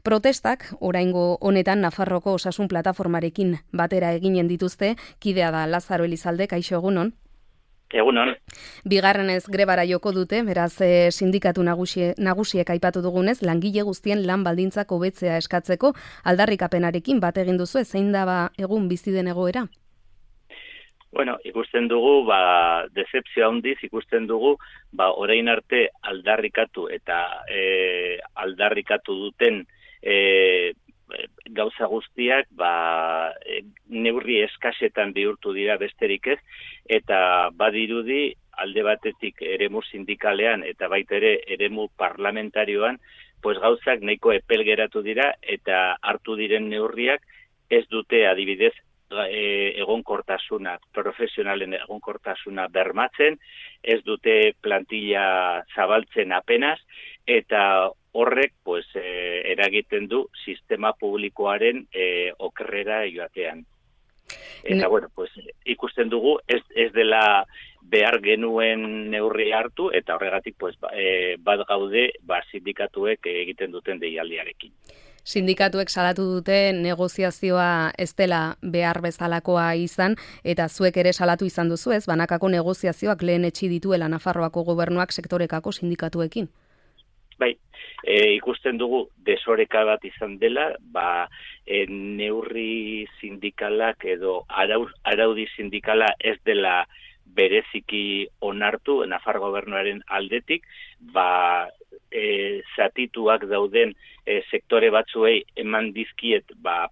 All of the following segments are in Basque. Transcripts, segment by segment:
Protestak, oraingo honetan Nafarroko Osasun Plataformarekin batera eginen dituzte, kidea da Lazaro Elizalde, kaixo egunon. Egunon. Bigarrenez grebara joko dute, beraz sindikatu nagusiek aipatu dugunez, langile guztien lan baldintzak hobetzea eskatzeko aldarrikapenarekin bat egin duzu, zein da egun bizi den egoera? Bueno, ikusten dugu, decepzio handiz ikusten dugu, orain arte aldarrikatu eta aldarrikatu duten gauza guztiak neurri eskasetan bihurtu dira besterik ez, eta badirudi alde batetik eremu sindikalean eta baita ere eremu parlamentarioan, gauzak nahiko epel geratu dira eta hartu diren neurriak ez dute adibidez egonkortasuna, profesionalen egonkortasuna bermatzen, ez dute plantilla zabaltzen apenas, eta horrek eragiten du sistema publikoaren okerrera joatean. Eta ikusten dugu ez dela behar genuen neurri hartu, eta horregatik bat gaude sindikatuek egiten duten deialdiarekin. Sindikatuek salatu dute negoziazioa ez dela behar bezalakoa izan, eta zuek ere salatu izan duzu ez, banakako negoziazioak lehen etxi dituela Nafarroako gobernuak sektorekako sindikatuekin. Bai, ikusten dugu desoreka bat izan dela, neurri sindikalak edo araudi sindikala ez dela bereziki onartu Nafar gobernuaren aldetik, zatituak dauden sektore batzuei eman dizkiet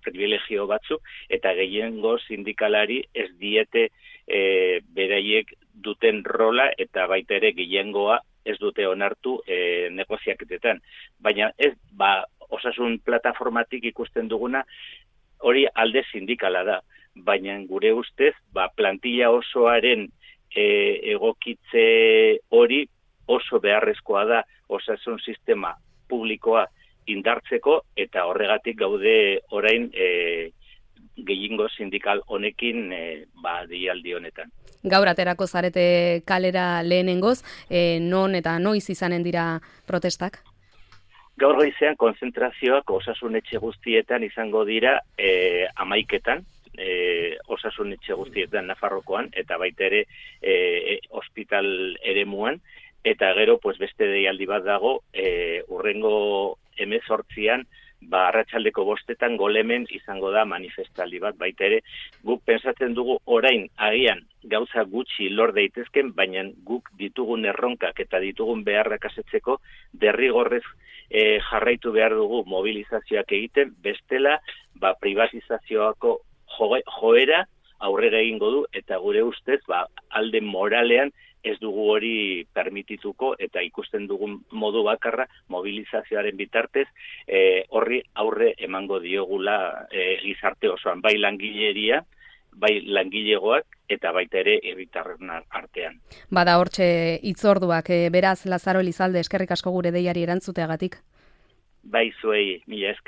privilegio batzuk, eta gehiengo sindikalari ez diete beraiek duten rola eta baita ere gehiengoa ez dute onartu negoziaketetan. Baina ez osasun plataformatik ikusten duguna hori alde sindikala da, baina gure ustez plantilla osoaren egokitze hori oso beharrezkoa da osasun sistema publikoa indartzeko, eta horregatik gaude orain gehiengo sindikal honekin deialdi honetan. Gaur aterako zarete kalera lehenengoz, non eta noiz izanen dira protestak? Gaur goizean konzentrazioak osasun etxe guztietan izango dira 11:00, osasun etxe guztietan Nafarrokoan, eta baita ere ospital eremuan, eta gero beste deialdi bat dago, hurrengo 18an, arratsaldeko 5:00 Golemen izango da manifestaldi bat, baita ere guk pensatzen dugu orain agian gauza gutxi lor daitezken, baina guk ditugun erronkak eta ditugun beharrak asetzeko derrigorrez jarraitu behar dugu mobilizazioak egiten, bestela privatizazioako joera aurrera egingo du, eta gure ustez alde moralean ez dugu hori permitituko, eta ikusten dugun modu bakarra mobilizazioaren bitartez horri aurre emango diogula gizarte osoan, bai langileria, bai langilegoak, eta baita ere herritarren artean. Bada hortxe hitzorduak, beraz Lazaro Elizalde, eskerrik asko gure deiari erantzuteagatik. Bai zuei, mila esker.